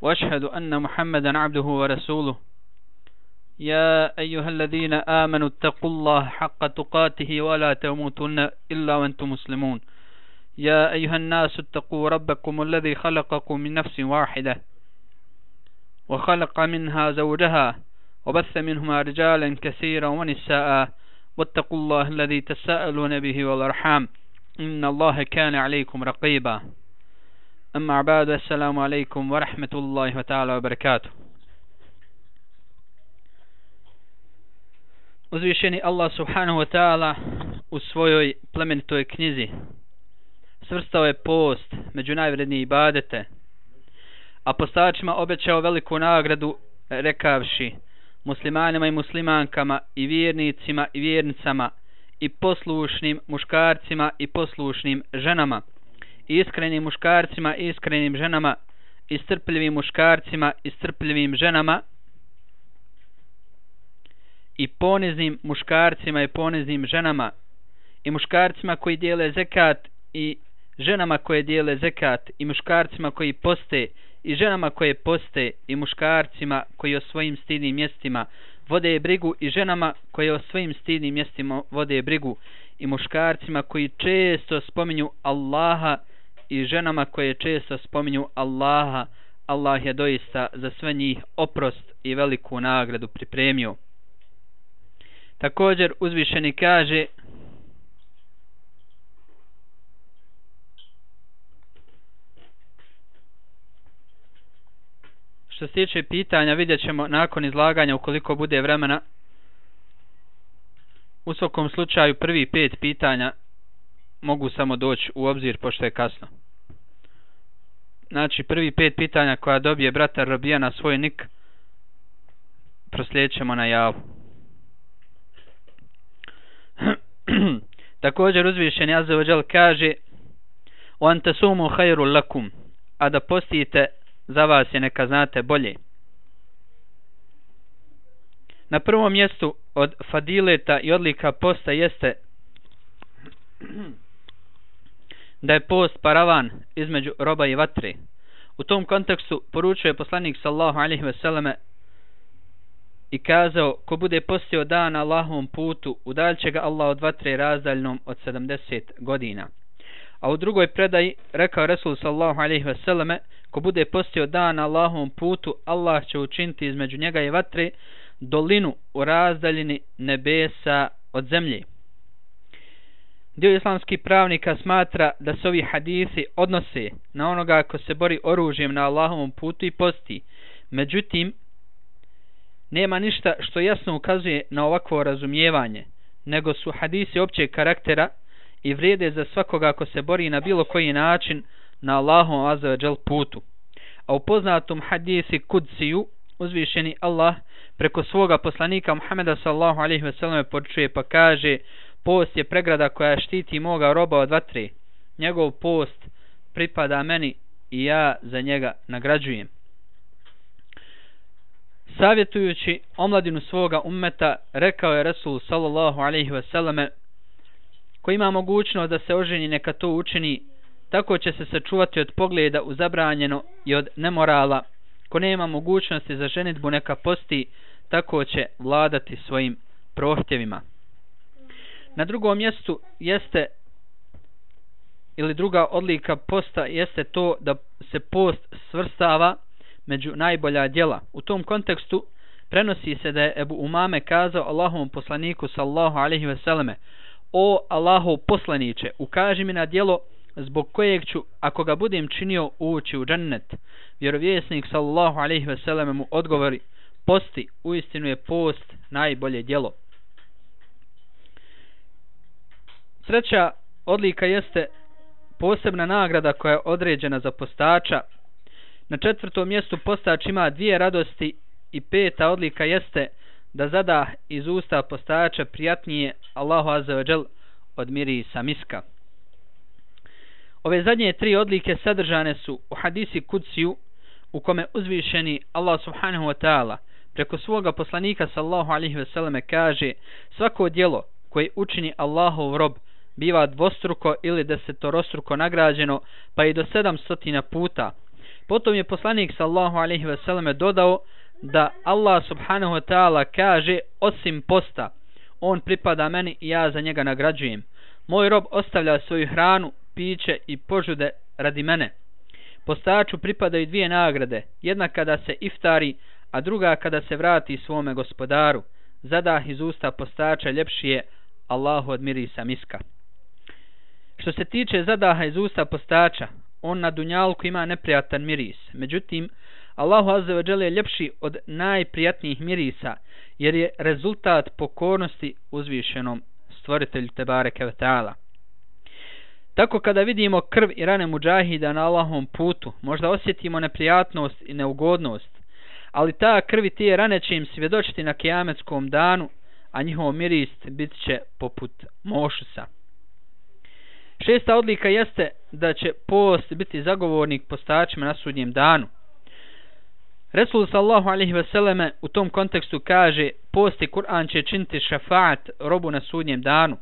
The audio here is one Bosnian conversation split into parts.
وأشهد أن محمدا عبده ورسوله يا أيها الذين آمنوا اتقوا الله حق تقاته ولا تموتن إلا وأنتم مسلمون يا أيها الناس اتقوا ربكم الذي خلقكم من نفس واحدة وخلق منها زوجها وبث منهما رجالا كثيرا ونساء واتقوا الله الذي تساءلون به والأرحام إن الله كان عليكم رقيبا أما بعد السلام عليكم ورحمة الله تعالى وبركاته. Uzvišeni Allah subhanahu wa ta'ala u svojoj plemenitoj knjizi svrstao je post među najvrednije ibadete, a postačima obećao veliku nagradu rekavši: muslimanima i muslimankama i vjernicima i vjernicama i poslušnim muškarcima i poslušnim ženama, i iskrenim muškarcima i iskrenim ženama, i strpljivim muškarcima i strpljivim ženama, i poniznim muškarcima i poniznim ženama, i muškarcima koji dijele zekat i ženama koje dijele zekat, i muškarcima koji poste i ženama koje poste, i muškarcima koji o svojim stidnim mjestima vode brigu i ženama koje o svojim stidnim mjestima vode brigu, i muškarcima koji često spominju Allaha i ženama koje često spominju Allaha. Allah je doista za sve njih oprost i veliku nagradu pripremio. Također uzvišeni kaže: što se tiče pitanja, vidjet ćemo nakon izlaganja ukoliko bude vremena. U svakom slučaju prvi 5 pitanja mogu samo doći u obzir pošto je kasno. Znači prvi 5 pitanja koja dobije brata Robija na svoj nik proslijedit ćemo na javu. Također uzvišeni azza wa džal kaže: wa antasumu khairul lakum, a da postite za vas je neka znate bolje. Na prvom mjestu od fadileta i odlika posta jeste da je post paravan između roba i vatre. U tom kontekstu poručuje poslanik sallallahu alejhi ve selleme i kazao: ko bude postio dan na Allahovom putu, udaljit će ga Allah od vatre razdaljnom od 70 godina. A u drugoj predaji rekao Resul sallallahu alejhi ve selleme: ko bude postio dan na Allahovom putu, Allah će učiniti između njega i vatre dolinu u razdaljini nebesa od zemlje. Dio islamskih pravnika smatra da se ovi hadisi odnose na onoga ko se bori oružjem na Allahovom putu i posti. Međutim, nema ništa što jasno ukazuje na ovakvo razumijevanje, nego su hadisi općeg karaktera i vrijede za svakoga ko se bori na bilo koji način na Allahovom azza wa džal putu. A u poznatom hadisi kudsiju uzvišeni Allah preko svoga poslanika Muhameda sallallahu alejhi ve selleme poručuje pa kaže: post je pregrada koja štiti moga roba od vatre. Njegov post pripada meni i ja za njega nagrađujem. Savjetujući omladinu svoga ummeta, rekao je Resul sallallahu alejhi ve selleme: ko ima mogućnost da se oženi, neka to učini, tako će se sačuvati od pogleda u zabranjeno i od nemorala. Ko nema mogućnosti za ženidbu, neka posti, tako će vladati svojim prohtjevima. Na drugom mjestu jeste, ili druga odlika posta jeste to da se post svrstava među najbolja djela. U tom kontekstu prenosi se da je Ebu Umame kazao Allahovom poslaniku sallallahu alejhi ve selleme: o Allahov poslaniče, ukaži mi na djelo zbog kojeg ću, ako ga budem činio, ući u džennet. Vjerovjesnik sallallahu alejhi ve selleme mu odgovori: posti, uistinu je post najbolje djelo. Treća odlika jeste posebna nagrada koja je određena za postača. Na 4. mjestu postač ima 2 radosti i 5. odlika jeste da zada iz usta postača prijatnije Allahu azza wa džal od mirisa miska. Ove zadnje 3 odlike sadržane su u hadisi kudsiju u kome uzvišeni Allah subhanahu wa ta'ala preko svoga poslanika sallallahu alejhi ve selleme kaže: svako djelo koje učini Allahov rob biva dvostruko ili desetorostruko nagrađeno, pa i do 700 puta. Potom je poslanik sallallahu alejhi ve selleme dodao da Allah subhanahu wa ta'ala kaže: osim posta, on pripada meni i ja za njega nagrađujem. Moj rob ostavlja svoju hranu, piće i požude radi mene. Postaču pripadaju dvije nagrade, jedna kada se iftari, a druga kada se vrati svome gospodaru. Zadah iz usta postača ljepši je Allahu od mirisa miska. Što se tiče zadaha iz usta postača, on na dunjalku ima neprijatan miris. Međutim, Allahu azza wa dželle je ljepši od najprijatnijih mirisa, jer je rezultat pokornosti uzvišenom stvoritelju tebareke ve taala. Tako kada vidimo krv i rane muđahida na Allahovom putu, možda osjetimo neprijatnost i neugodnost, ali ta krv i te rane će im svjedočiti na kijametskom danu, a njihov miris bit će poput mošusa. Šesta odlika jeste da će post biti zagovornik postačima na sudnjem danu. Resul sallallahu alejhi ve selleme u tom kontekstu kaže: post i Kur'an će činiti šefaat robu na sudnjem danu.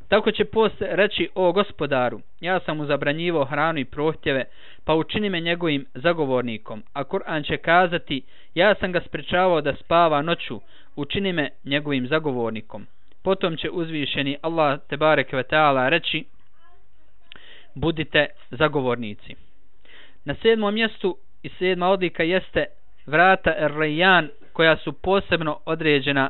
Tako će post reći: o gospodaru, ja sam mu zabranjivao hranu i prohtjeve, pa učini me njegovim zagovornikom. A Kur'an će kazati: ja sam ga sprečavao da spava noću, učini me njegovim zagovornikom. Potom će uzvišeni Allah tebareke ve taala reći: budite zagovornici. Na 7. mjestu i 7. odlika jeste vrata Er-Rayyan, koja su posebno određena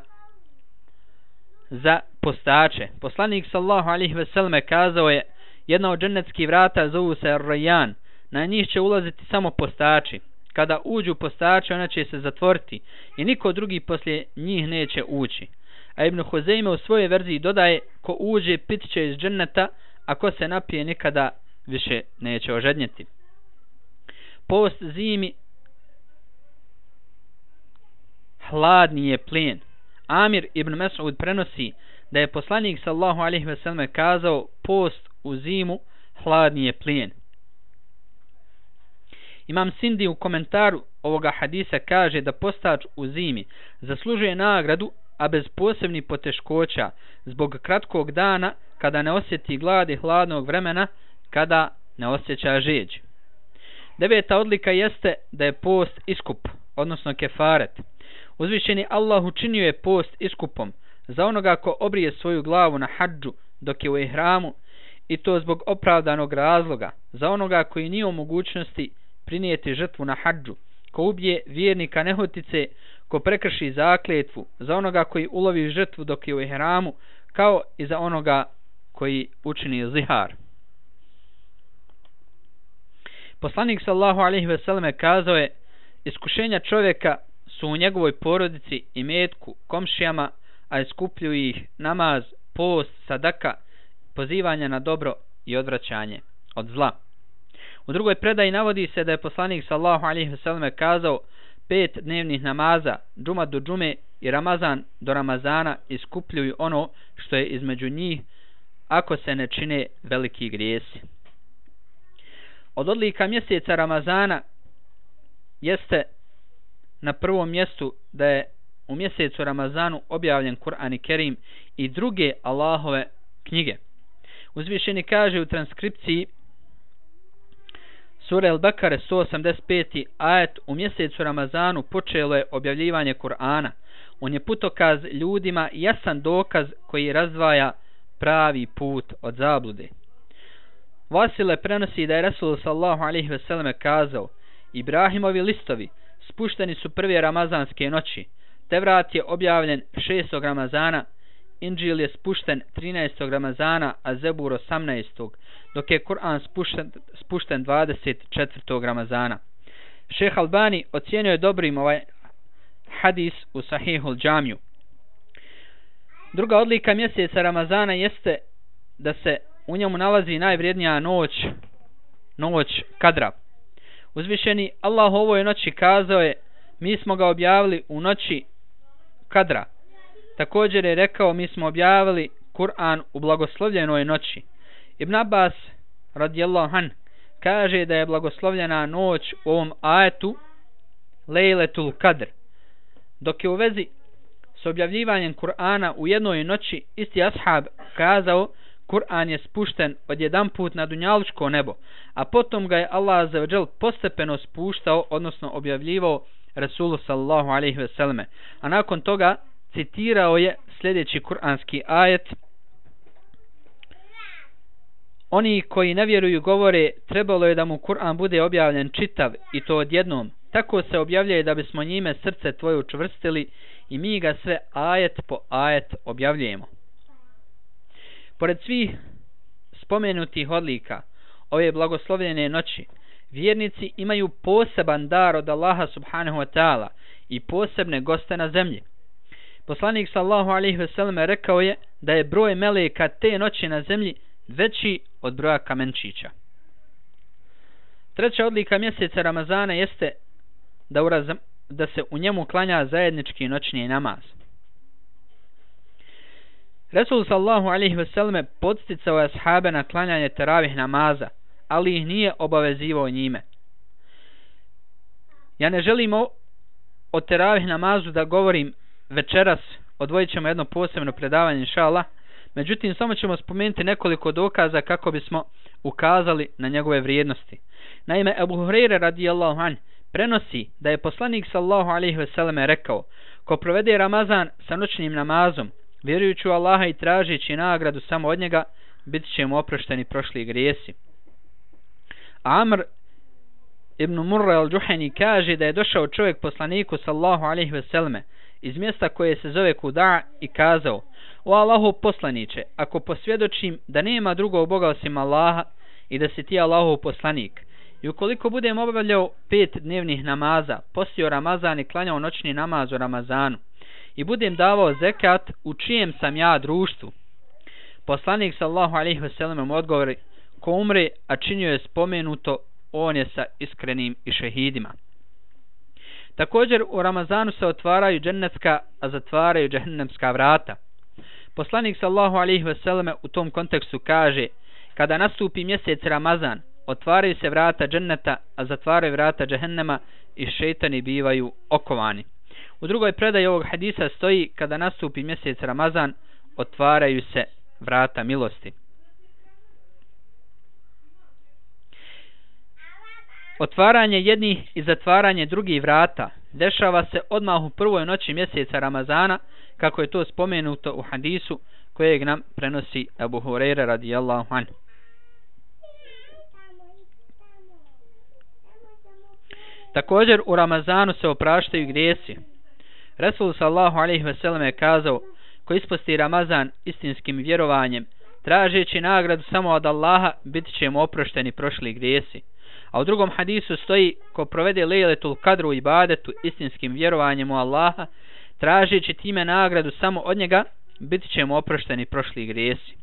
za postače. Poslanik sallallahu alejhi ve selleme kazao je: jedna od džennetskih vrata zovu se Er-Rayyan, na njih će ulaziti samo postači. Kada uđu postači, ona će se zatvoriti i niko drugi poslije njih neće ući. A Ibn Huzeyme u svojoj verziji dodaje: ko uđe pit će iz dženneta, a ko se napije nikada više neće ožednjeti. Post zimi hladni je plijen. Amir ibn Mes'ud prenosi da je poslanik sallallahu alejhi ve selleme kazao: post u zimu hladni je plijen. Imam Sindi u komentaru ovoga hadisa kaže da postač u zimi zaslužuje nagradu, a bez posebnih poteškoća, zbog kratkog dana kada ne osjeti glad i hladnog vremena kada ne osjeća žeđ. 9. odlika jeste da je post iskup, odnosno kefaret. Uzvišeni Allah učinio je post iskupom za onoga ko obrije svoju glavu na hadžu dok je u ihramu, i to zbog opravdanog razloga, za onoga koji nije u mogućnosti prinijeti žrtvu na hadžu, ko ubije vjernika nehotice, ko prekrši zakletvu, za onoga koji ulovi žrtvu dok je u ihramu, kao i za onoga koji učini zihar. Poslanik sallallahu alejhi ve selleme kazao je: iskušenja čovjeka su u njegovoj porodici i metku, komšijama, a iskupljuju ih namaz, post, sadaka, pozivanje na dobro i odvraćanje od zla. U drugoj predaji navodi se da je poslanik sallallahu alejhi ve selleme kazao: 5 dnevnih namaza, džuma do džume i Ramazan do Ramazana, iskupljuju ono što je između njih, ako se ne čine veliki grijesi. Od odlika mjeseca Ramazana jeste na prvom mjestu da je u mjesecu Ramazanu objavljen Kur'an i Kerim i druge Allahove knjige. Uzvišeni kaže u transkripciji Sure Al-Bakare 185. ajet: u mjesecu Ramazanu počelo je objavljivanje Kur'ana. On je putokaz ljudima i jasan dokaz koji razdvaja pravi put od zablude. Vasile prenosi da je Rasul sallallahu alejhi ve selleme kazao: Ibrahimovi listovi spušteni su prve ramazanske noći, Tevrat je objavljen 6. Ramazana, Inđil je spušten 13. Ramazana, a Zebur 18. dok je Kur'an spušten 24. Ramazana. Šejh Albani ocijenio je dobrim ovaj hadis u Sahihul Džamiju. Druga odlika mjeseca Ramazana jeste da se u njemu nalazi najvrijednija noć Kadra. Uzvišeni Allah ovoj noći kazao je: mi smo ga objavili u noći Kadra. Također je rekao: mi smo objavili Kur'an u blagoslovljenoj noći. Ibn Abbas radijallahu an kaže da je blagoslovljena noć u ovom ajetu Lejletul Kadr. Dok je u vezi s objavljivanjem Kur'ana u jednoj noći isti ashab kazao: Kur'an je spušten odjedanput na dunjalučko nebo, a potom ga je Allah azza wa džel postepeno spuštao, odnosno objavljivao Rasulu sallallahu alejhi ve selleme, a nakon toga citirao je sljedeći kuranski ajet: oni koji ne vjeruju govore, trebalo je da mu Kur'an bude objavljen čitav i to odjednom. Tako se objavljuje da bismo njime srce tvoje učvrstili i mi ga sve ajet po ajet objavljujemo. Pored svih spomenutih odlika ove blagoslovljene noći, vjernici imaju poseban dar od Allaha subhanahu wa ta'ala i posebne goste na zemlji. Poslanik sallallahu alejhi ve selleme rekao je da je broj meleka te noći na zemlji veći od broja kamenčića. Treća odlika mjeseca Ramazana jeste da se u njemu klanja zajednički noćni namaz. Resul sallallahu alejhi ve selleme podsticao je ashabe na klanjanje teravih namaza, ali ih nije obavezivao njime. Ja ne želim o teravih namazu da govorim večeras, odvojit ćemo jedno posebno predavanje inšallah, međutim samo ćemo spomenuti nekoliko dokaza kako bismo ukazali na njegove vrijednosti. Naime, Ebu Hurajra radijallahu anh prenosi da je poslanik sallallahu alejhi ve selleme rekao: ko provede Ramazan sa noćnim namazom, vjerujući u Allaha i tražeći nagradu samo od njega, bit će mu oprošteni prošli grijesi. Amr ibn Murra al-Juhani kaže da je došao čovjek poslaniku sallallahu alejhi ve selleme iz mjesta koje se zove Kuda i kazao: o Allahov poslaniče, ako posvjedočim da nema drugog Boga osim Allaha i da si ti Allahov poslanik, i ukoliko budem obavljao 5 dnevnih namaza, postio Ramazan i klanjao noćni namaz u Ramazanu, i budem davao zekat, u čijem sam ja društvu? Poslanik sallallahu alejhi ve sellem mu odgovori: ko umre, a činio je spomenuto, on je sa iskrenim i šehidima. Također u Ramazanu se otvaraju džennetska, a zatvaraju džehennemska vrata. Poslanik sallallahu alejhi ve selleme u tom kontekstu kaže: kada nastupi mjesec Ramazan, otvaraju se vrata dženneta, a zatvaraju vrata džehennema i šejtani bivaju okovani. U drugoj predaji ovog hadisa stoji: kada nastupi mjesec Ramazan, otvaraju se vrata milosti. Otvaranje jednih i zatvaranje drugih vrata dešava se odmah u prvoj noći mjeseca Ramazana, kako je to spomenuto u hadisu kojeg nam prenosi Ebu Hurajra radijallahu anhu. Također u Ramazanu se opraštaju grijesi. Resul sallallahu alejhi ve selleme je kazao: ko isposti Ramazan istinskim vjerovanjem, tražeći nagradu samo od Allaha, bit će mu oprošteni prošli grijesi. A u drugom hadisu stoji: ko provede lejletul kadru u ibadetu istinskim vjerovanjem u Allaha, tražeći time nagradu samo od njega, bit će mu oprošteni prošli grijesi.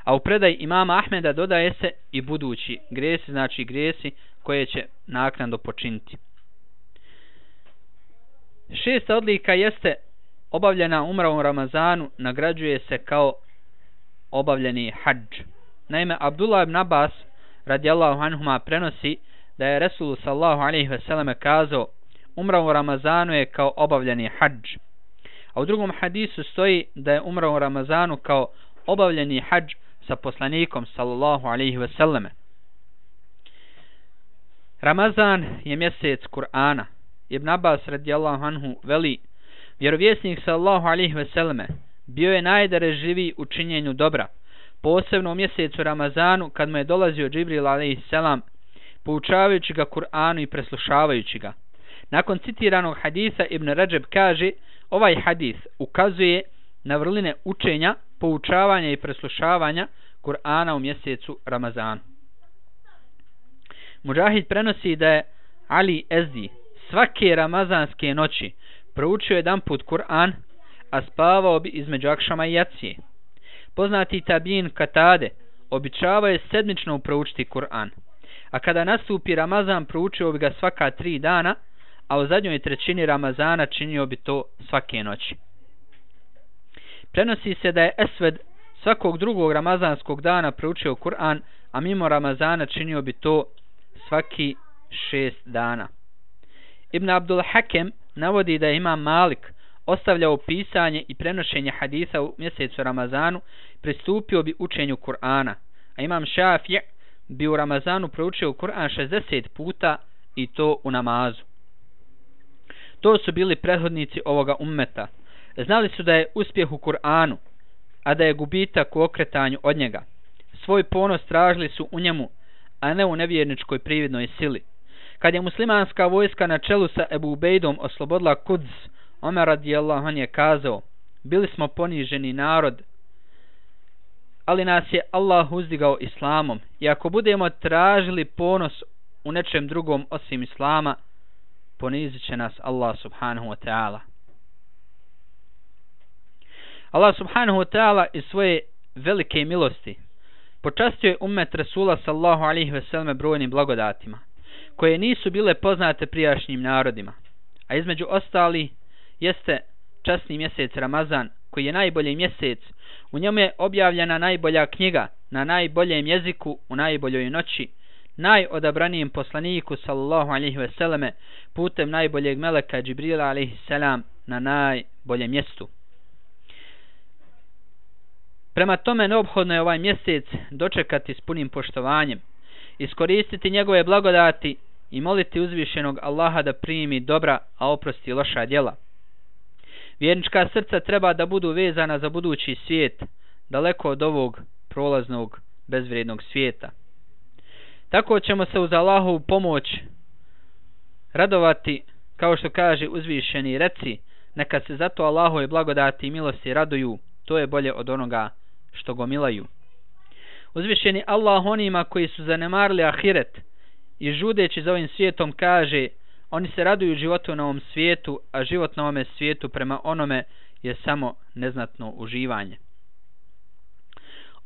A u predaji imama Ahmeda dodaje se i budući grijesi, znači grijesi koje će naknadno počiniti. 6. odlika jeste obavljena umra u Ramazanu, nagrađuje se kao obavljeni hadž. Naime, Abdullah ibn Abbas radijallahu anhuma prenosi da je Resul sallallahu alejhi ve selleme kazao: umra u Ramazanu je kao obavljeni hadž. A u drugom hadisu stoji da je umra u Ramazanu kao obavljeni hadž sa poslanikom sallallahu alejhi ve selleme. Ramazan je mjesec Kur'ana. Ibn Abbas radijallahu anhu veli: vjerovjesnik sallallahu alejhi ve selleme bio je najdarežljiviji u činjenju dobra, posebno u mjesecu Ramazanu, kad mu je dolazio Džibril alejselam, poučavajući ga Kur'anu i preslušavajući ga. Nakon citiranog hadisa Ibn Rajab kaže: ovaj hadis ukazuje na vrline učenja, poučavanja i preslušavanja Kur'ana u mjesecu Ramazanu. Mujahid prenosi da je Ali Ezdi svake ramazanske noći proučio jedanput Kur'an, a spavao bi između akšama i jacije. Poznati tabin Katade običavao je sedmično proučiti Kur'an, a kada nastupi Ramazan proučio bi ga svaka 3 dana, a u zadnjoj trećini Ramazana činio bi to svake noći. Prenosi se da je Esved svakog drugog ramazanskog dana proučio Kur'an, a mimo Ramazana činio bi to svaki 6 dana. Ibn Abdul Hakem navodi da je Imam Malik ostavljao pisanje i prenošenje hadisa u mjesecu Ramazanu, pristupio bi učenju Kur'ana, a Imam Šafija bi u Ramazanu proučio Kur'an 60 puta i to u namazu. To su bili prethodnici ovoga ummeta. Znali su da je uspjeh u Kur'anu, a da je gubitak u okretanju od njega. Svoj ponos tražili su u njemu, a ne u nevjerničkoj prividnoj sili. Kad je muslimanska vojska na čelu sa Ebu Ubejdom oslobodila Kuds, Omer radijallahu anhu je kazao: bili smo poniženi narod, ali nas je Allah uzdigao islamom, i ako budemo tražili ponos u nečem drugom osim islama, ponizit će nas Allah subhanahu wa ta'ala. Allah subhanahu wa ta'ala iz svoje velike milosti počastio je ummet Rasula sallallahu alaihi ve selleme brojnim blagodatima, koje nisu bile poznate prijašnjim narodima, a između ostali jeste časni mjesec Ramazan, koji je najbolji mjesec. U njemu je objavljena najbolja knjiga na najboljem jeziku u najboljoj noći, najodabranijem poslaniku sallallahu alaihi ve selleme putem najboljeg meleka Džibrila alaihi selam na najboljem mjestu. Prema tome neophodno je ovaj mjesec dočekati s punim poštovanjem, iskoristiti njegove blagodati i moliti uzvišenog Allaha da primi dobra, a oprosti loša djela. Vjernička srca treba da budu vezana za budući svijet, daleko od ovog prolaznog, bezvrijednog svijeta. Tako ćemo se uz Allahovu pomoć radovati, kao što kaže uzvišeni: reci, neka se zato Allahove blagodati i milosti raduju, to je bolje od onoga što gomilaju. Uzvišeni Allah onima koji su zanemarili ahiret i žudeći za ovim svijetom kaže: oni se raduju životu na ovom svijetu, a život na ovome svijetu prema onome je samo neznatno uživanje.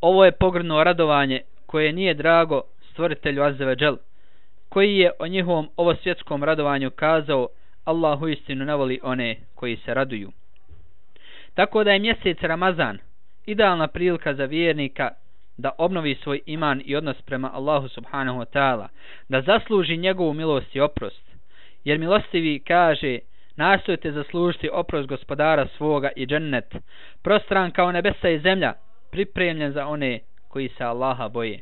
Ovo je pogrdno radovanje koje nije drago stvoritelju azza ve džel, koji je o njihovom ovosvjetskom radovanju kazao: Allah uistinu ne voli one koji se raduju. Tako da je mjesec Ramazan idealna prilika za vjernika da obnovi svoj iman i odnos prema Allahu subhanahu wa ta'ala, da zasluži njegovu milost i oprost. Jer milostivi kaže: nastojte zaslužiti oprost gospodara svoga i džennet, prostran kao nebesa i zemlja, pripremljen za one koji se Allaha boje.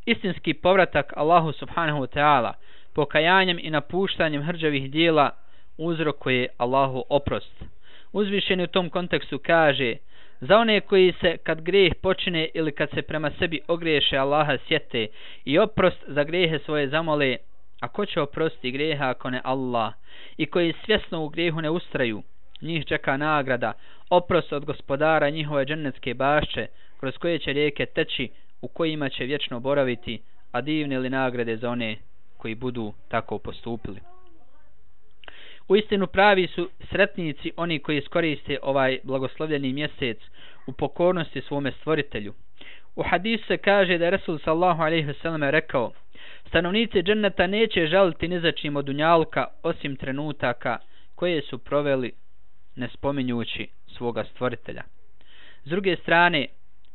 Istinski povratak Allahu subhanahu wa ta'ala pokajanjem i napuštanjem hrđavih dijela uzrokuje Allahu oprost. Uzvišeni u tom kontekstu kaže: za one koji se kad grijeh počine ili kad se prema sebi ogriješe Allaha sjete i oprost za grijehe svoje zamole, a ko će oprostiti grijeha ako ne Allah, i koji svjesno u grijehu ne ustraju, njih čeka nagrada, oprost od gospodara njihove džennetske bašče, kroz koje će rijeke teći, u kojima će vječno boraviti, a divne li nagrade za one koji budu tako postupili. Uistinu pravi su sretnici oni koji iskoriste ovaj blagoslovljeni mjesec u pokornosti svome stvoritelju. U hadisu se kaže da je Resul sallallahu alejhi ve selleme rekao: stanovnici dženneta neće žaliti ni za čim od dunjalka osim trenutaka koje su proveli ne spominjući svoga stvoritelja. S druge strane,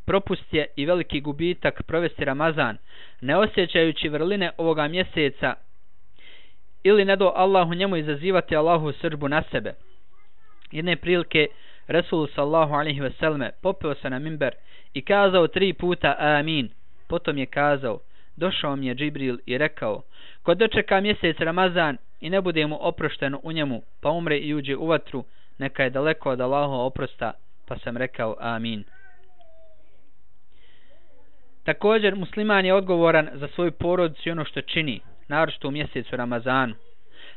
propust je i veliki gubitak provesti Ramazan ne osjećajući vrline ovoga mjeseca ili ne do Allahu njemu izazivati Allahu srdbu na sebe. Jedne prilike Resul sallallahu alejhi ve selleme popeo se na minber i kazao 3 puta amin. Potom je kazao: došao mi je Džibril i rekao: ko dočeka mjesec Ramazan i ne bude mu oprošteno u njemu, pa umre i uđe u vatru, neka je daleko od Allahova oprosta. Pa sam rekao amin. Također musliman je odgovoran za svoju porodicu i ono što čini, naročito u mjesecu Ramazanu.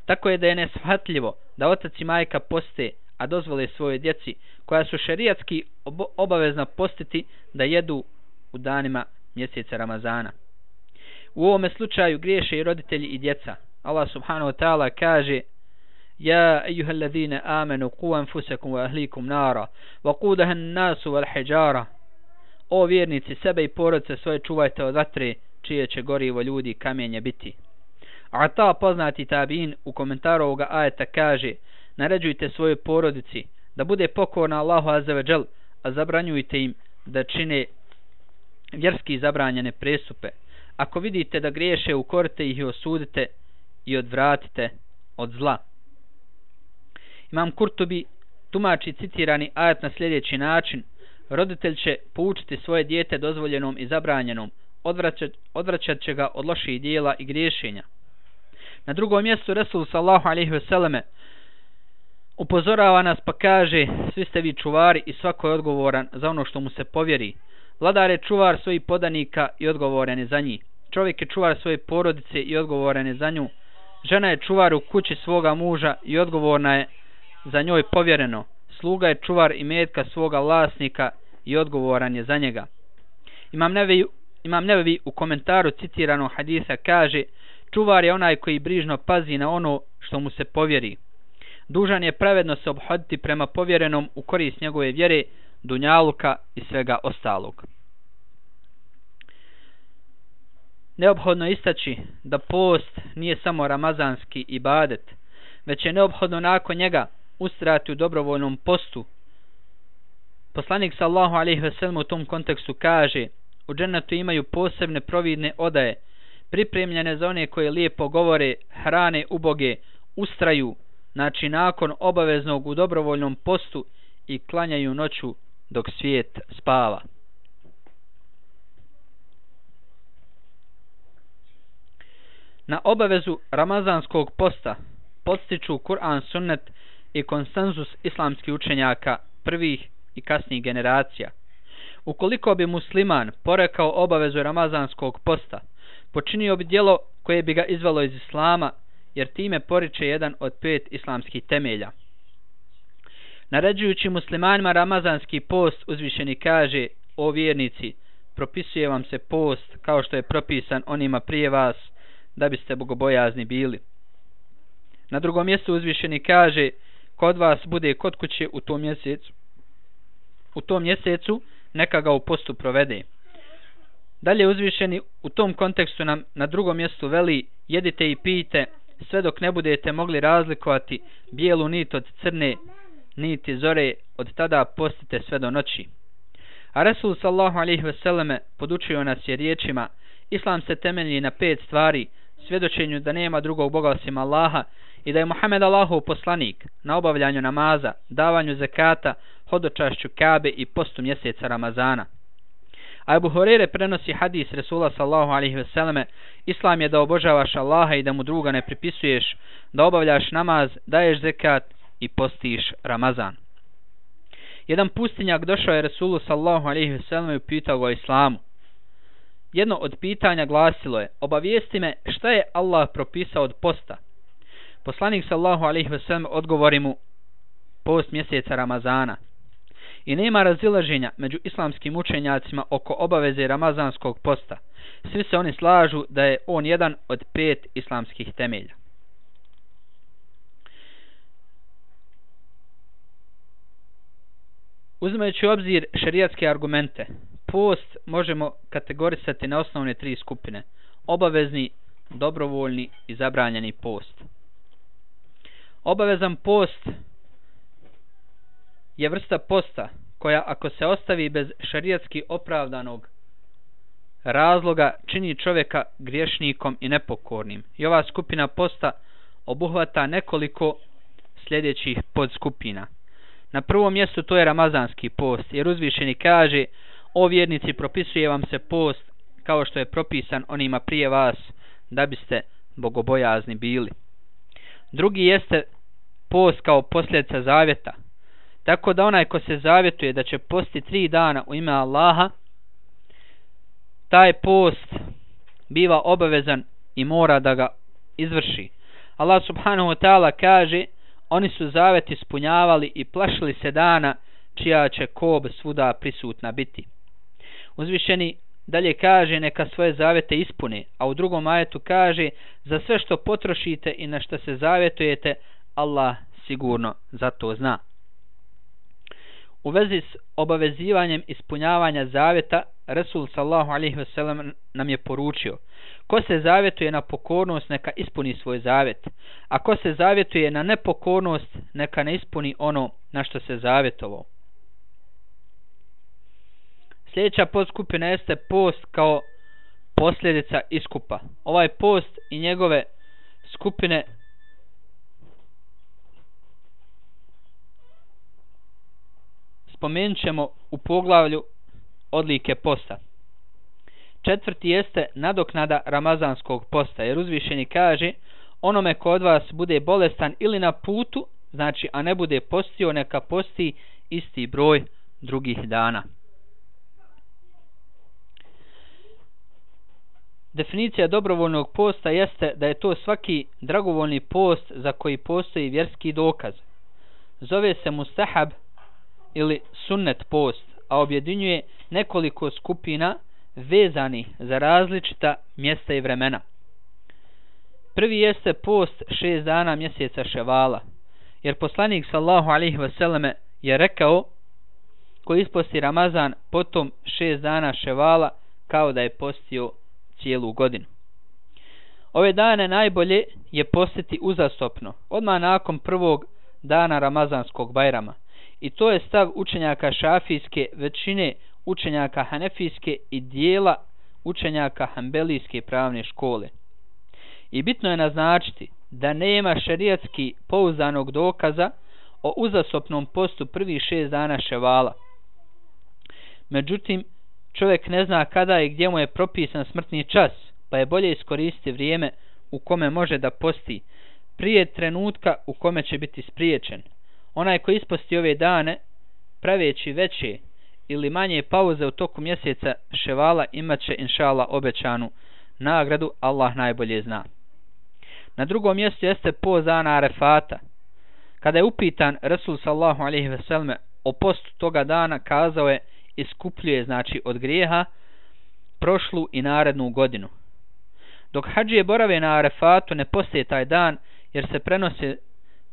Tako je da je neshvatljivo da otac i majka poste, a dozvole svoje djeci, koja su šerijatski obavezna postiti, da jedu u danima mjeseca Ramazana. U ovome slučaju griješe i roditelji i djeca. Allah subhanahu wa ta'ala kaže: ja ejuhallazine amenu qu anfusakum wa ahlikum nara wa qudaha an-nasu wal hijara. O vjernici, sebe i porodice svoje čuvajte od vatre, čije će gorivo ljudi kamenje biti. A ta poznati tabiin u komentaru ovoga ajeta kaže: naređujte svojoj porodici da bude pokorna Allahu azza ve džel, a zabranjujte im da čine vjerski zabranjene prestupe. Ako vidite da griješe, ukorite ih i osudite i odvratite od zla. Imam Kurtubi tumači citirani ajet na sljedeći način: roditelj će poučiti svoje dijete dozvoljenom i zabranjenom, odvraćat će ga od loših dijela i griješenja. Na drugom mjestu Resul sallallahu alejhi ve selleme upozorava nas pa kaže: svi ste vi čuvari i svako je odgovoran za ono što mu se povjeri. Vladar je čuvar svojih podanika i odgovoran je za njih. Čovjek je čuvar svoje porodice i odgovoran je za nju. Žena je čuvar u kući svoga muža i odgovorna je za njoj povjereno. Sluga je čuvar imetka svoga vlasnika i odgovoran je za njega. Imam Nevevi u komentaru citiranog hadisa kaže: čuvar je onaj koji brižno pazi na ono što mu se povjeri. Dužan je pravedno se ophoditi prema povjerenom u korist njegove vjere, dunjaluka i svega ostalog. Neophodno je istaći da post nije samo ramazanski ibadet, već je neophodno nakon njega ustrajati u dobrovoljnom postu. Poslanik sallallahu alejhi ve sellem u tom kontekstu kaže: u džennetu imaju posebne providne odaje, pripremljene za one koje lijepo govore, hrane uboge, ustraju, znači nakon obaveznog u dobrovoljnom postu, i klanjaju noću dok svijet spava. Na obavezu ramazanskog posta podstiču Kur'an, sunnet i konsenzus islamskih učenjaka prvih i kasnijih generacija. Ukoliko bi musliman porekao obavezu ramazanskog posta, počinio bi djelo koje bi ga izvelo iz islama, jer time poriče jedan od 5 islamskih temelja. Naređujući muslimanima ramazanski post, uzvišeni kaže: o vjernici, propisuje vam se post kao što je propisan onima prije vas, da biste bogobojazni bili. Na drugom mjestu uzvišeni kaže: kod vas bude kod kuće u tom mjesecu, neka ga u postu provede. Dalje uzvišeni u tom kontekstu nam na drugom mjestu veli: jedite i pijte sve dok ne budete mogli razlikovati bijelu nit od crne niti zore, od tada postite sve do noći. A Resul sallallahu alejhi ve selleme podučio nas je riječima: islam se temelji na 5 stvari: svjedočenju da nema drugog Boga osim Allaha i da je Muhammed Allahov poslanik, na obavljanju namaza, davanju zekata, hodočašću Kabe i postu mjeseca Ramazana. A Ebu Hurajre prenosi hadis Resula sallallahu alejhi ve selleme: islam je da obožavaš Allaha i da mu druga ne pripisuješ, da obavljaš namaz, daješ zekat i postiš Ramazan. Jedan pustinjak došao je Resulu sallallahu alejhi ve selleme i pitao ga o islamu. Jedno od pitanja glasilo je: obavijesti me šta je Allah propisao od posta. Poslanik sallallahu alejhi ve sellem odgovori mu: post mjeseca Ramazana. I nema razilaženja među islamskim učenjacima oko obaveze ramazanskog posta. Svi se oni slažu da je on jedan od 5 islamskih temelja. Uzimajući u obzir šerijatske argumente, post možemo kategorisati na osnovne 3 skupine: obavezni, dobrovoljni i zabranjeni post. Obavezan post je vrsta posta koja, ako se ostavi bez šerijatski opravdanog razloga, čini čovjeka griješnikom i nepokornim. I ova skupina posta obuhvata nekoliko sljedećih podskupina. Na prvom mjestu to je ramazanski post, jer uzvišeni kaže: o vjernici, propisuje vam se post kao što je propisan onima prije vas, da biste bogobojazni bili. Drugi jeste post kao posljedica zavjeta, tako da onaj ko se zavjetuje da će posti 3 dana u ime Allaha, taj post biva obavezan i mora da ga izvrši. Allah subhanahu wa ta'ala kaže: oni su zavjet ispunjavali i plašili se dana čija će kob svuda prisutna biti. Uzvišeni dalje kaže: neka svoje zavjete ispune, a u drugom ajetu kaže: za sve što potrošite i na što se zavjetujete, Allah sigurno za to zna. U vezi s obavezivanjem ispunjavanja zavjeta, Resul sallallahu alejhi ve sellem nam je poručio: ko se zavjetuje na pokornost, neka ispuni svoj zavjet, a ko se zavjetuje na nepokornost, neka ne ispuni ono na što se zavjetovao. Sljedeća podskupina jeste post kao posljedica iskupa. Ovaj post i njegove skupine spomenut ćemo u poglavlju odlike posta. 4. jeste nadoknada ramazanskog posta, jer uzvišeni kaže: onome ko od vas bude bolestan ili na putu, znači a ne bude postio, neka posti isti broj drugih dana. Definicija dobrovoljnog posta jeste da je to svaki dragovoljni post za koji postoji vjerski dokaz. Zove se mustahab ili sunnet post, a objedinjuje nekoliko skupina vezanih za različita mjesta i vremena. Prvi jeste post 6 dana mjeseca Ševala, jer poslanik sallallahu alejhi ve selleme je rekao: ko isposti Ramazan potom 6 dana Ševala, kao da je postio cijelu godinu. Ove dane najbolje je postiti uzastopno, odmah nakon prvog dana Ramazanskog Bajrama. I to je stav učenjaka šafijske, većine učenjaka hanefijske i dijela učenjaka hanbelijske pravne škole. I bitno je naznačiti da nema šerijatski pouzdanog dokaza o uzastopnom postu prvih 6 dana Ševala. Međutim, čovjek ne zna kada i gdje mu je propisan smrtni čas, pa je bolje iskoristiti vrijeme u kome može da posti, prije trenutka u kome će biti spriječen. Onaj ko isposti ove dane, praveći veće ili manje pauze u toku mjeseca Ševala, imat će inšallah obećanu nagradu, Allah najbolje zna. Na drugom mjestu jeste post dana Arefata. Kada je upitan Resul sallallahu alejhi ve selleme o postu toga dana, kazao je: iskupljuje, znači od grijeha, prošlu i narednu godinu. Dok hadžije borave na Arefatu, ne poste taj dan, jer se prenosi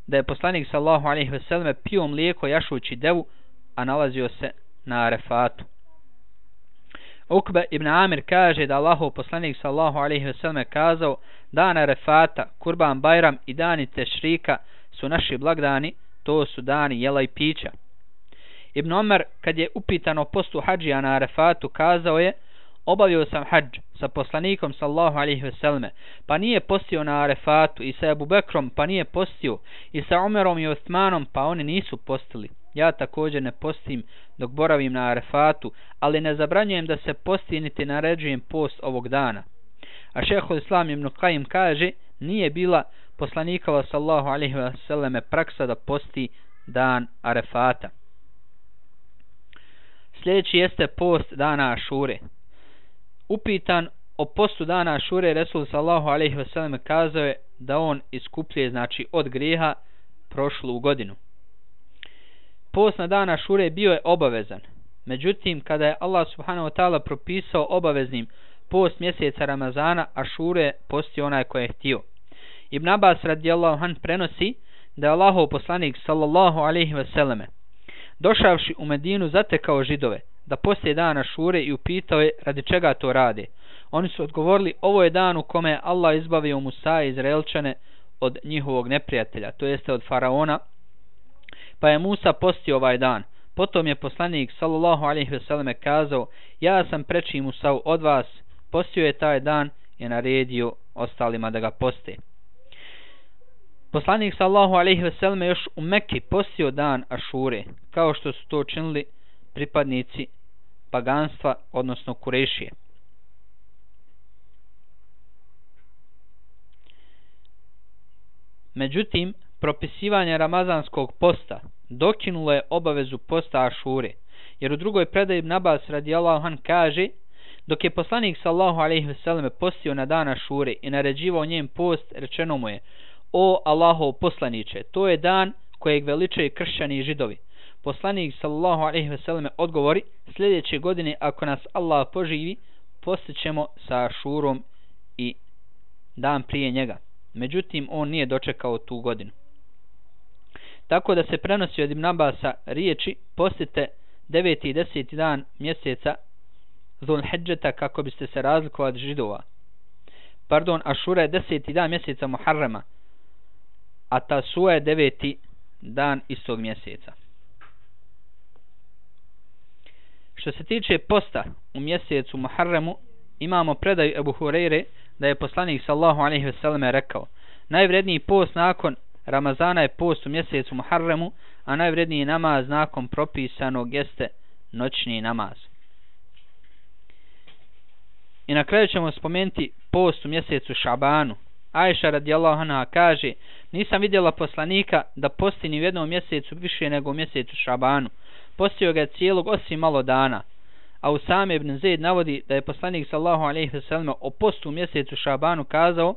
da je poslanik sallallahu alejhi ve selleme pio mlijeko jašući devu, a nalazio se na Arefatu. Ukbe ibn Amir kaže da Allahov poslanik sallallahu alejhi ve selleme kazao: dan Arefata, Kurban Bajram i dani Tešrika su naši blagdani, to su dani jela i pića. Ibn Omer, kad je upitan o postu hadžija na Arefatu, kazao je: obavio sam hadž sa poslanikom sallallahu alejhi ve selleme, pa nije postio na Arefatu, i sa Ebu Bekrom, pa nije postio, i sa Umerom i Osmanom, pa oni nisu postili. Ja također ne postim dok boravim na Arefatu, ali ne zabranjujem da se posti niti naređujem post ovog dana. A šejhul Islam ibn Kajim kaže: nije bila poslanikova sallallahu alejhi ve selleme praksa da posti dan Arefata. Sljedeći jeste post dana Ašure. Upitan o postu dana Ašure, Resul sallallahu alejhi ve selleme kazao je da on iskupljuje, znači od grijeha, prošlu godinu. Post na dan Ašure bio je obavezan. Međutim, kada je Allah subhanahu wa ta'ala propisao obaveznim post mjeseca Ramazana, Ašure postio onaj ko je htio. Ibn Abbas radijallahu anh prenosi da je Allahov poslanik sallallahu alejhi ve selleme došavši u Medinu zatekao Židove da poste dan Ašure i upitao je radi čega to rade. Oni su odgovorili: ovo je dan u kome je Allah izbavio Musa i Izraelčane od njihovog neprijatelja, to jeste od faraona, pa je Musa postio ovaj dan. Potom je poslanik sallallahu alejhi ve selleme kazao: ja sam preči Musau od vas, postio je taj dan i naredio ostalima da ga poste. Poslanik sallallahu alejhi ve selleme još u Mekki postio dan Ašure, kao što su to činili pripadnici paganstva, odnosno Kurešije. Međutim, propisivanje ramazanskog posta dokinulo je obavezu posta Ašure, jer u drugoj predaji Ibn Abbas radijallahu anh kaže: dok je poslanik sallallahu alejhi ve selleme postio na dan Ašure i naređivao njen post, rečeno mu je: o Allahov poslaniče, to je dan kojeg veličaju kršćani i Židovi. Poslanik sallallahu alejhi ve selleme odgovori: sljedeće godine, ako nas Allah poživi, postit ćemo sa Ašurom i dan prije njega. Međutim, on nije dočekao tu godinu. Tako da se prenosi od Ibn Abasa riječi: postite 9. i 10. dan mjeseca Zulhidžeta kako biste se razlikovali od Židova. Pardon, Ašura je 10. dan mjeseca Muharrema, a Tasua je 9. dan istog mjeseca. Što se tiče posta u mjesecu Muharremu, imamo predaju Ebu Hureyre da je poslanik sallallahu alejhi ve selleme rekao: najvredniji post nakon Ramazana je post u mjesecu Muharremu, a najvredniji namaz nakon propisanog jeste noćni namaz. I na kraju ćemo spomenuti post u mjesecu Šabanu. Ajša radijallahu anha kaže: nisam vidjela poslanika da posti ni u jednom mjesecu više nego u mjesecu Šabanu. Postio ga je cijelog osim malo dana. A Usame ibn Zaid navodi da je poslanik sallallahu alejhi ve sellem o postu u mjesecu Šabanu kazao: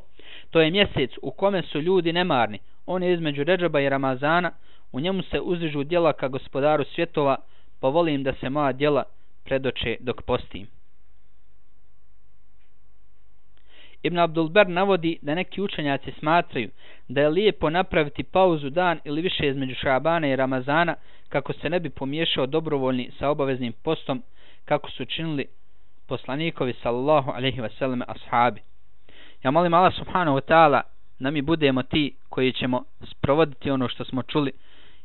to je mjesec u kome su ljudi nemarni. On je između Redžaba i Ramazana. U njemu se uzdižu djela ka gospodaru svjetova, pa volim da se moja djela predoče dok postim. Ibn Abdul Ber navodi da neki učenjaci smatraju da je lijepo napraviti pauzu dan ili više između Šabana i Ramazana kako se ne bi pomiješao dobrovoljni sa obaveznim postom kako su činili poslanikovi sallallahu alejhi ve sellem ashabi. Ja molim Allah subhanahu wa ta'ala da mi budemo ti koji ćemo sprovoditi ono što smo čuli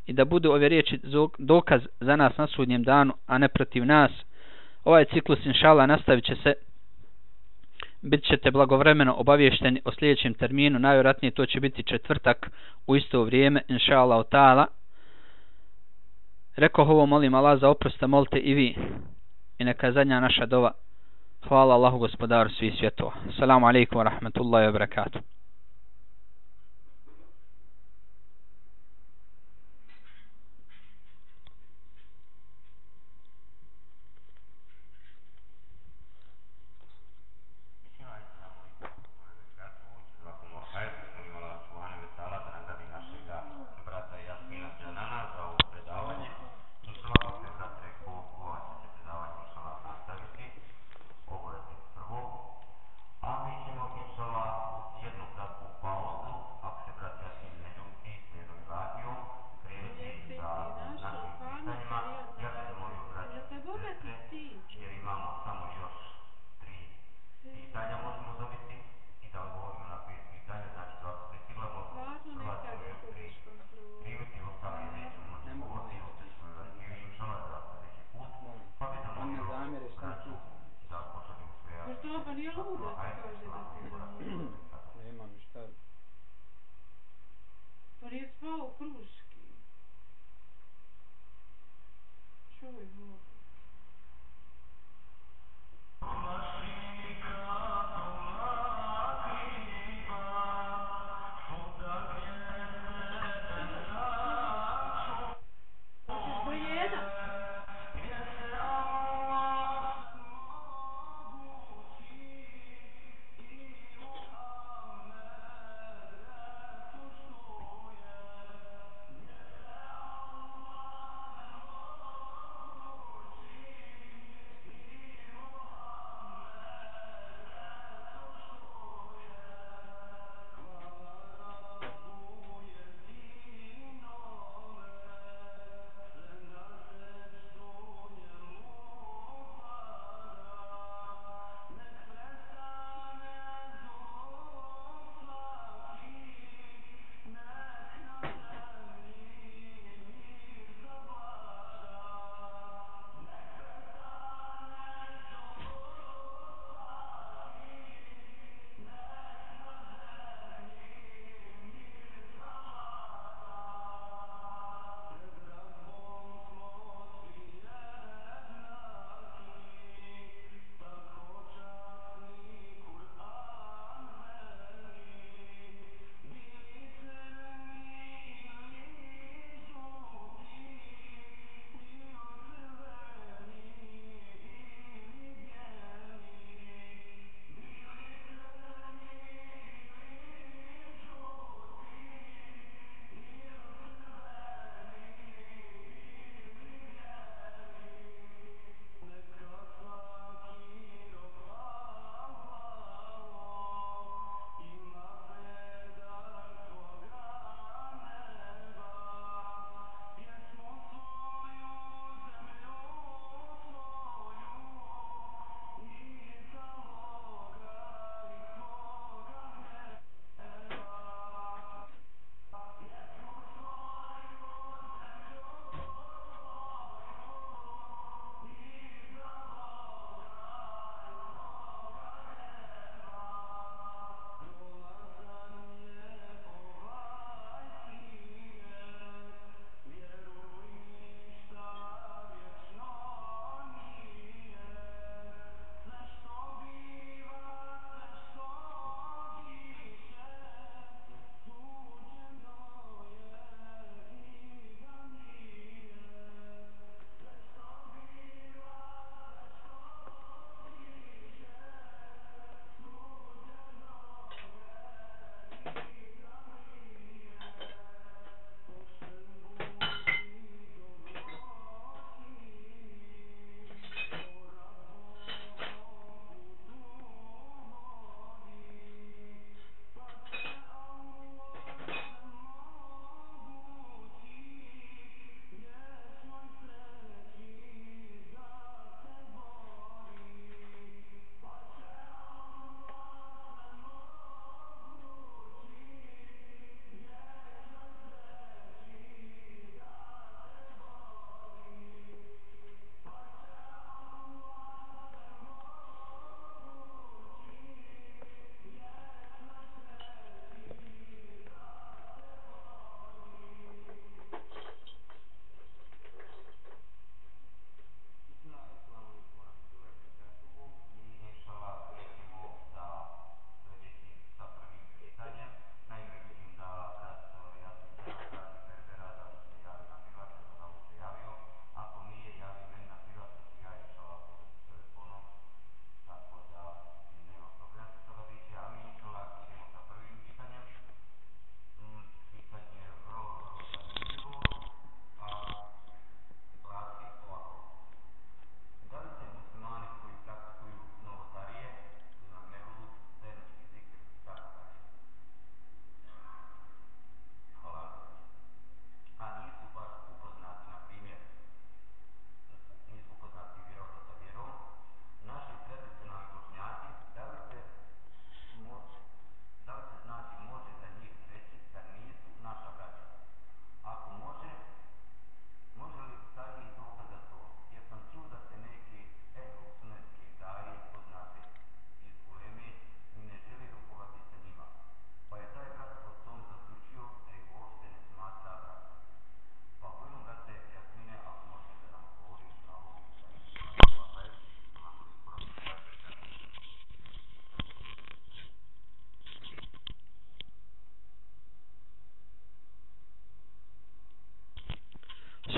i da budu ove riječi dokaz za nas na sudnjem danu, a ne protiv nas. Ovaj ciklus inshallah nastavit će se. Bit ćete blagovremeno obavješteni o sljedećem terminu, najvjerojatnije to će biti četvrtak u isto vrijeme, inshallah ta'ala. Rekao ovo, molim Allah za oprost, molite i vi. I neka je zadnja naša dova. Hvala Allahu gospodaru svih svjetova. Assalamu alaikum wa rahmatullahi wa barakatuh.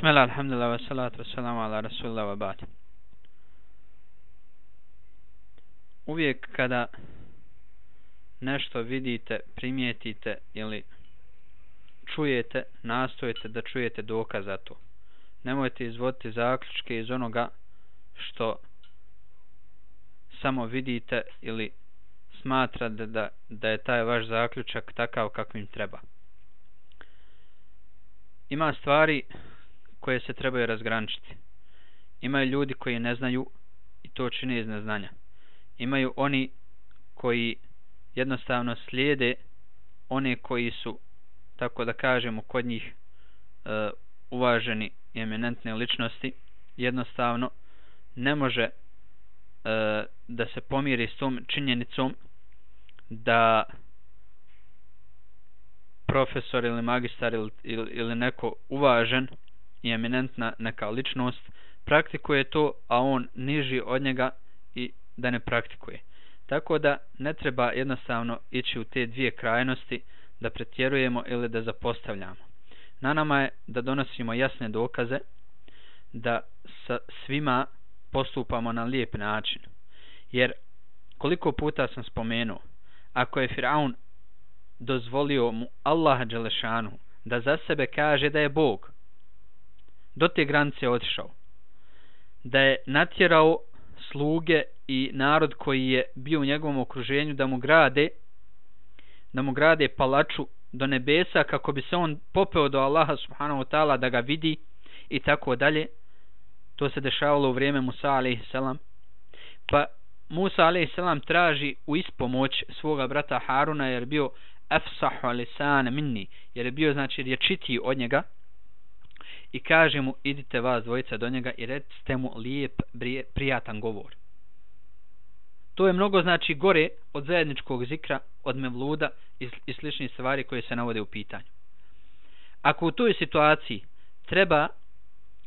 Bismillah, alhamdulillah, wa salatu wa salamu ala rasulillah wa ba'd. Uvijek kada nešto vidite, primijetite ili čujete, nastojite da čujete dokaz za to. Nemojte izvoditi zaključke iz onoga što samo vidite ili smatrate da je taj vaš zaključak takav kakvim treba. Ima stvari koje se trebaju razgraničiti. Imaju ljudi koji ne znaju i to čine iz neznanja. Imaju oni koji jednostavno slijede one koji su, tako da kažemo, kod njih uvaženi i eminentne ličnosti. Jednostavno ne može da se pomiri s tom činjenicom da profesor ili magistar ili neko uvažen i eminentna neka ličnost praktikuje to, a on niži od njega i da ne praktikuje. Tako da ne treba jednostavno ići u te dvije krajnosti, da pretjerujemo ili da zapostavljamo. Na nama je da donosimo jasne dokaze, da sa svima postupamo na lijep način. Jer koliko puta sam spomenuo, ako je Firaun dozvolio mu Allaha dželešanu da za sebe kaže da je Bog, do te granice otišao, da je natjerao sluge i narod koji je bio u njegovom okruženju da mu grade palaču do nebesa kako bi se on popeo do Allaha subhanahu wa ta'ala da ga vidi i tako dalje. To se dešavalo u vrijeme Musa alejhiselam. Pa Musa alejhiselam traži u ispomoć svoga brata Haruna jer je bio afsahu lisan minni, jer je bio znači rječitiji od njega, i kaže mu: idite vas dvojica do njega i recite mu lijep, prijatan govor. To je mnogo znači gore od zajedničkog zikra, od mevluda i sličnih stvari koje se navode u pitanju. Ako u toj situaciji treba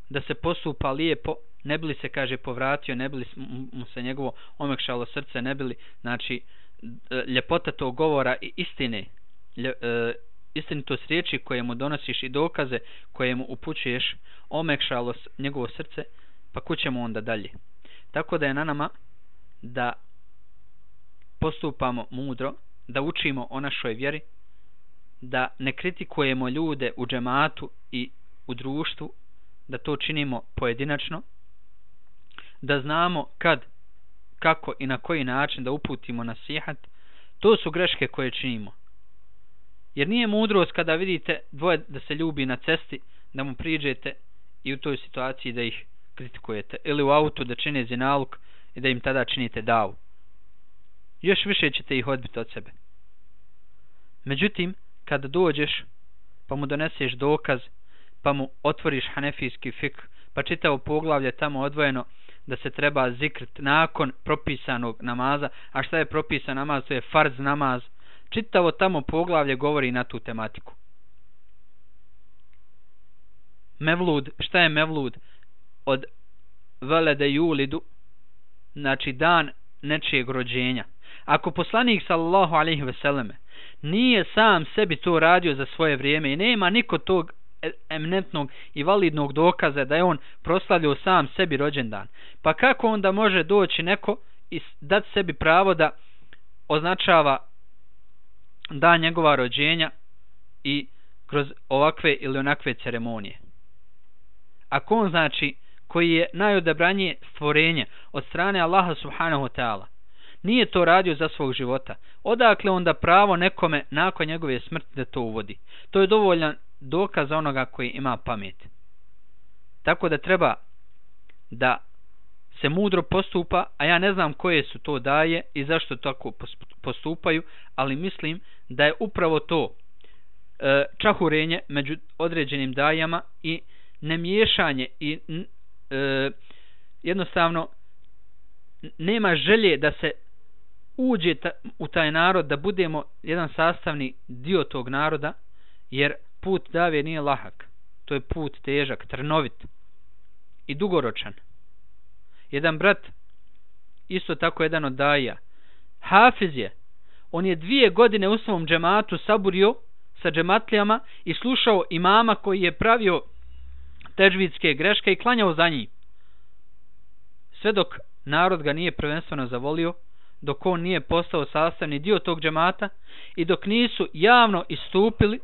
da se postupa lijepo, ne bi li se, kaže, povratio, ne bi li mu se njegovo omekšalo srce, ne bi li znači ljepota tog govora i istine, istinitost riječi koje mu donosiš i dokaze koje mu upućuješ omekšalo njegovo srce, pa kućemo onda dalje. Tako da je na nama da postupamo mudro, da učimo o našoj vjeri, da ne kritikujemo ljude u džematu i u društvu, da to činimo pojedinačno, da znamo kad, kako i na koji način da uputimo nasihat. To su greške koje činimo. Jer nije mudrost kada vidite dvoje da se ljubi na cesti, da mu priđete i u toj situaciji da ih kritikujete, ili u autu da čine zinaluk i da im tada činite davu. Još više ćete ih odbiti od sebe. Međutim, kada dođeš pa mu doneseš dokaz, pa mu otvoriš hanefijski fik, pa čitavo poglavlje tamo odvojeno da se treba zikrt nakon propisanog namaza, a šta je propisan namaz? To je farz namaz. Čitavo tamo poglavlje govori na tu tematiku. Mevlud, šta je mevlud? Od velede julidu, znači dan nečijeg rođenja. Ako poslanik sallallahu alejhi ve selleme nije sam sebi to radio za svoje vrijeme i nema niko tog eminentnog i validnog dokaza da je on proslavljao sam sebi rođendan, pa kako onda može doći neko i dati sebi pravo da označava dan njegova rođenja i kroz ovakve ili onakve ceremonije? Ako on, znači, koji je najodabranije stvorenje od strane Allaha subhanahu wa ta'ala, nije to radio za svog života, odakle onda pravo nekome nakon njegove smrti da to uvodi? To je dovoljan dokaz za onoga koji ima pamet. Tako da treba da se mudro postupa, a ja ne znam koje su to daje i zašto tako postupaju, ali mislim da je upravo to čahurenje među određenim dajama i nemiješanje i jednostavno nema želje da se uđe u taj narod, da budemo jedan sastavni dio tog naroda, jer put dave nije lahak. To je put težak, trnovit i dugoročan. Jedan brat, isto tako jedan od daja, hafiz je, on je 2 godine u svom džematu saburio sa džematlijama i slušao imama koji je pravio tedžvidske greške i klanjao za njim. Sve dok narod ga nije prvenstveno zavolio, dok on nije postao sastavni dio tog džemata i dok nisu javno istupili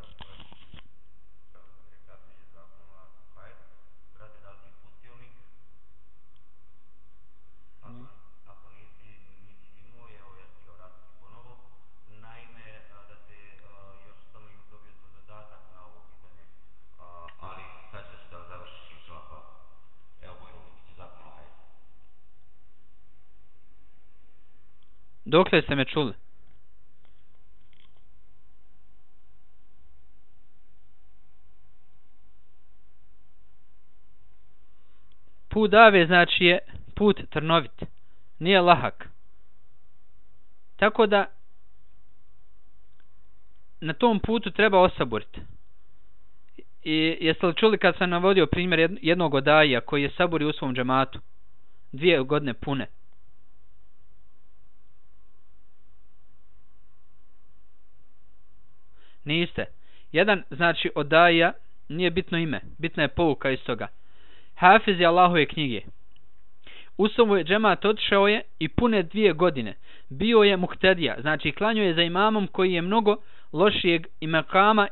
Dokle ste me čuli? Put dave znači je put trnovit, nije lahak. Tako da na tom putu treba osaboriti. I jeste li čuli kad sam navodio primjer jednog odaija koji je saborio u svom džematu 2 godine pune? Niste. Jedan znači odaja, nije bitno ime, bitna je pouka iz toga. Hafiz je Allahove knjige. U svoj džemat otišao je i pune 2 godine. Bio je muhtedija, znači klanjao je za imamom koji je mnogo lošijeg i makama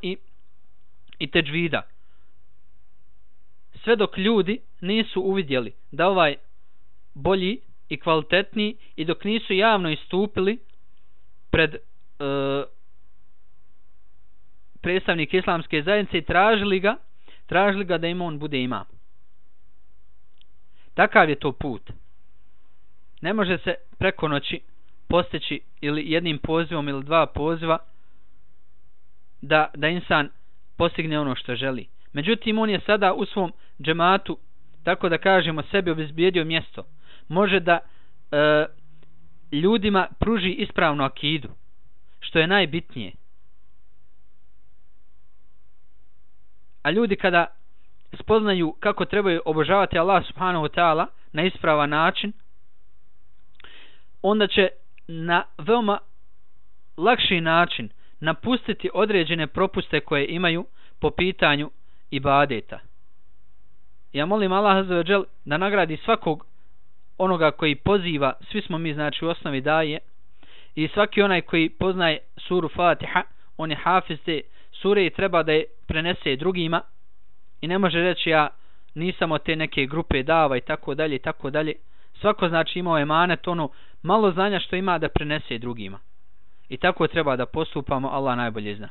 i teđvida. Sve dok ljudi nisu uvidjeli da ovaj bolji i kvalitetniji i dok nisu javno istupili pred predstavnik islamske zajednice i tražili ga da im on bude imam. Takav je to put. Ne može se preko noći postići ili jednim pozivom ili 2 poziva da insan postigne ono što želi. Međutim, on je sada u svom džematu, tako da kažemo, sebi obezbijedio mjesto. Može da ljudima pruži ispravnu akidu, što je najbitnije. A ljudi kada spoznaju kako trebaju obožavati Allah subhanahu wa ta'ala na ispravan način, onda će na veoma lakši način napustiti određene propuste koje imaju po pitanju ibadeta. Ja molim Allah azza wa džel da nagradi svakog onoga koji poziva, svi smo mi znači u osnovi daje, i svaki onaj koji poznaje suru Fatiha, on je hafiz te sure i treba da je prenese drugima i ne može reći ja nisam od te neke grupe dava i tako dalje i tako dalje. Svako znači imao emanet, ono malo znanja što ima da prenese drugima. I tako treba da postupamo, Allah najbolje zna.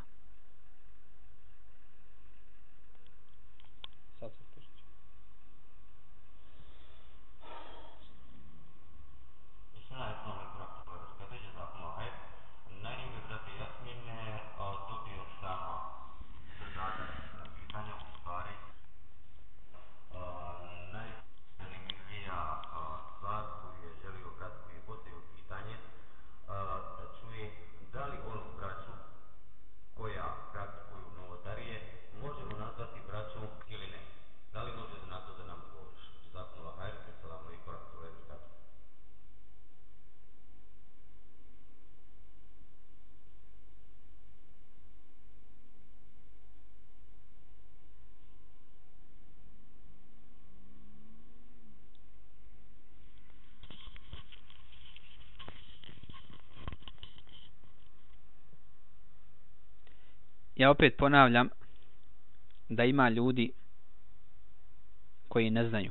Ja opet ponavljam da ima ljudi koji ne znaju,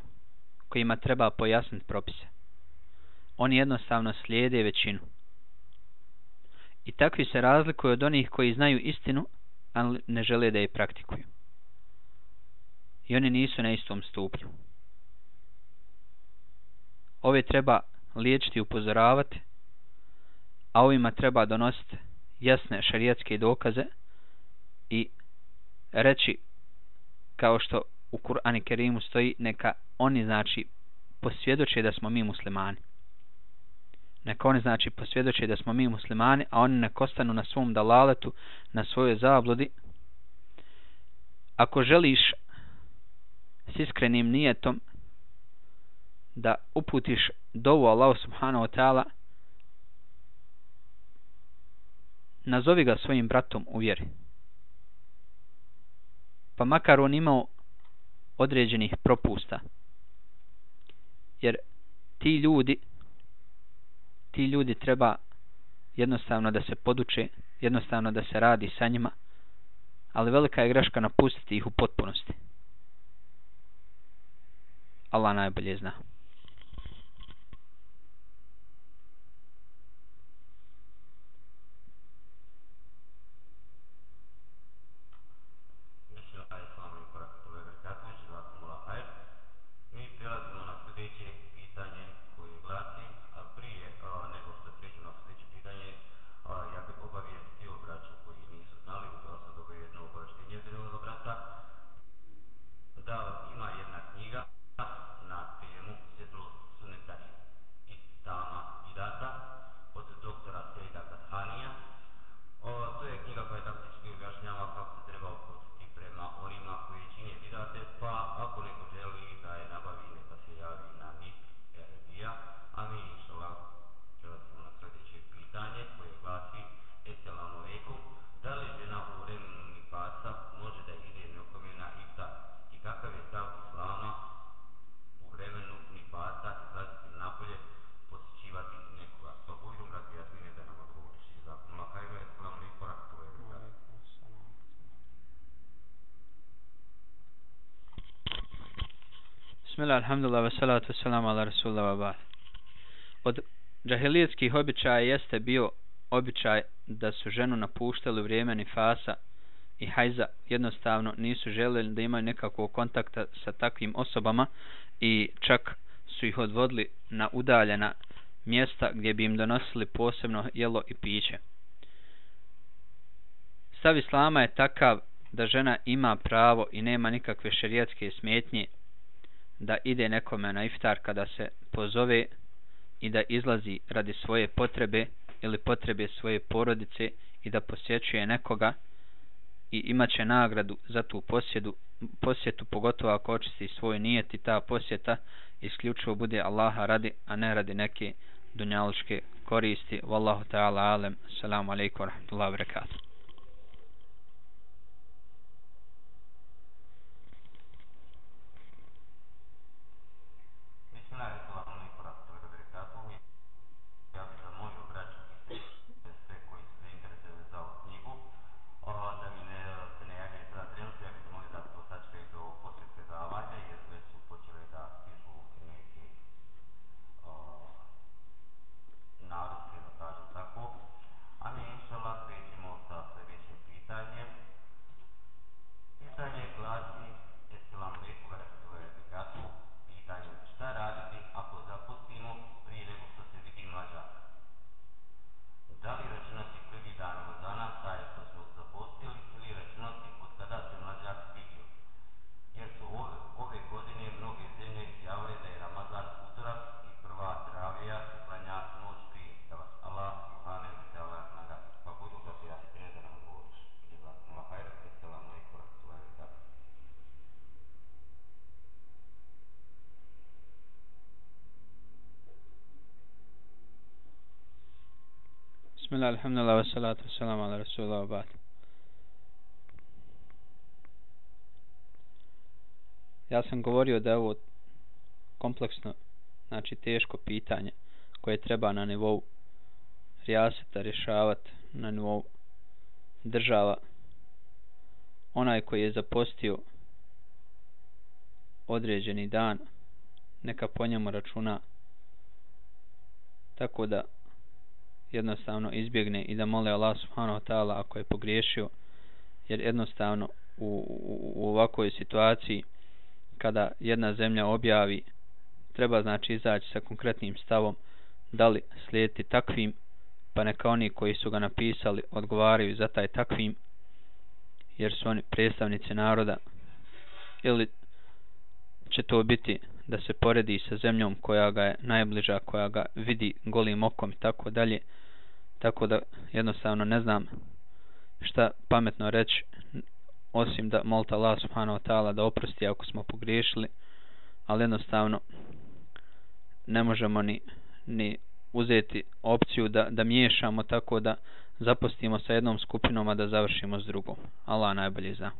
kojima treba pojasniti propise. Oni jednostavno slijede većinu. I takvi se razlikuju od onih koji znaju istinu, ali ne žele da je praktikuju. I oni nisu na istom stupnju. Ove treba liječiti i upozoravati, a ovima treba donositi jasne šarijatske dokaze i reći, kao što u Kur'anu Kerimu stoji, neka oni znači posvjedoče da smo mi muslimani. Neka oni znači posvjedoče da smo mi muslimani, a oni nek ostanu na svom dalaletu, na svojoj zabludi. Ako želiš s iskrenim nijetom da uputiš dovu Allahu subhanahu wa ta'ala, nazovi ga svojim bratom u vjeri. Pa makar on imao određenih propusta. Jer ti ljudi treba jednostavno da se poduče, jednostavno da se radi sa njima, ali velika je greška napustiti ih u potpunosti. Allah najbolje zna. Bismillah, alhamdulillah, wassalatu wassalamu ala rasulillah wa ba'd. Od džahilijetskih običaja jeste bio običaj da su ženu napuštali u vrijeme nifasa i hajza, jednostavno nisu željeli da imaju nekakvog kontakta sa takvim osobama i čak su ih odvodili na udaljena mjesta gdje bi im donosili posebno jelo i piće. Stav islama je takav da žena ima pravo i nema nikakve šerijatske smetnje da ide nekome na iftar kada se pozove i da izlazi radi svoje potrebe ili potrebe svoje porodice i da posjećuje nekoga i imaće nagradu za tu posjetu, pogotovo ako očisti svoj nijet i ta posjeta isključivo bude Allaha radi, a ne radi neke dunjalučke koristi. Wallahu ta'ala alem. Assalamu alaikum wa rahmatullahi wa barakatuh. Bismillah, alhamdulillah, wassalatu wassalamu ala rasulillah wa ba'd. Ja sam govorio da je ovo kompleksno, znači teško pitanje koje treba na nivou rijaseta rješavati, na nivou država. Onaj koji je zapostio određeni dan, neka po njemu računa tako da jednostavno izbjegne i da mole Allah subhanahu wa ta'ala ako je pogriješio, jer jednostavno u ovakvoj situaciji kada jedna zemlja objavi, treba znači izaći sa konkretnim stavom da li slijediti takvim, pa neka oni koji su ga napisali odgovaraju za taj takvim, jer su oni predstavnici naroda, ili će to biti da se poredi sa zemljom koja ga je najbliža, koja ga vidi golim okom i tako dalje. Tako da jednostavno ne znam šta pametno reći, osim da molite Allah subhanahu wa ta'ala da oprosti ako smo pogriješili, ali jednostavno ne možemo ni uzeti opciju da miješamo tako da zapostimo sa jednom skupinom, a da završimo s drugom. Allah najbolje zna.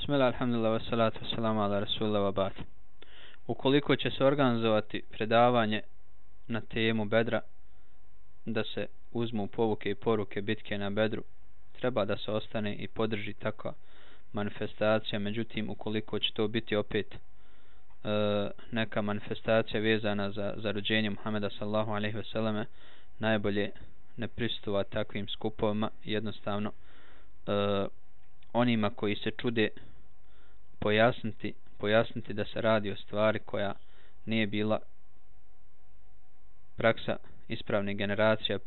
Bismillah, alhamdulillah, wassalatu wassalamu ala rasulillah wa ba'd. Ukoliko će se organizovati predavanje na temu Bedra, da se uzmu povuke i poruke bitke na Bedru, treba da se ostane i podrži takva manifestacija. Međutim, ukoliko će to biti opet neka manifestacija vezana za rođenje Muhameda sallallahu alejhi ve selleme, najbolje ne prisustvovati takvim skupovima. Jednostavno onima koji se čude pojasniti da se radi o stvari koja nije bila praksa ispravnih generacija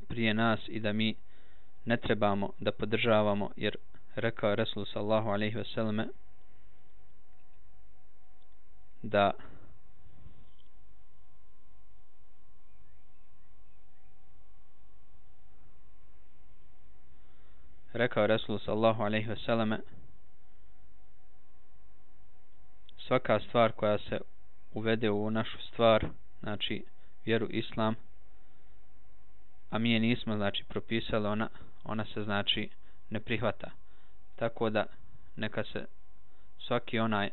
prije nas i da mi ne trebamo da podržavamo, jer rekao je Resul sallallahu alejhi ve selleme da svaka stvar koja se uvede u našu stvar, znači vjeru islam, a mi je nismo znači propisali, ona se znači ne prihvata. Tako da neka se svaki onaj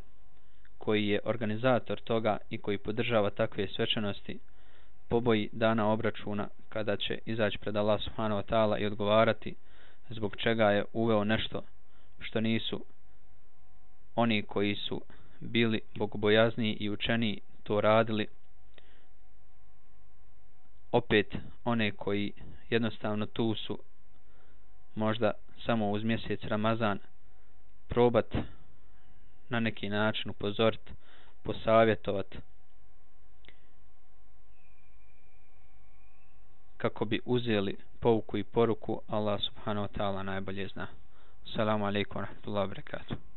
koji je organizator toga i koji podržava takve svečanosti poboji dana obračuna kada će izaći pred Allah subhanahu wa ta'ala i odgovarati zbog čega je uveo nešto što nisu oni koji su bili bogobojazniji i učeniji to radili. Opet one koji jednostavno tu su možda samo uz mjesec Ramazan probat na neki način upozorit, posavjetovat kako bi uzeli pouku i poruku. Allah subhanahu wa ta'ala najbolje zna. Assalamu alaikum wa rahmatullahi wa barakatuh.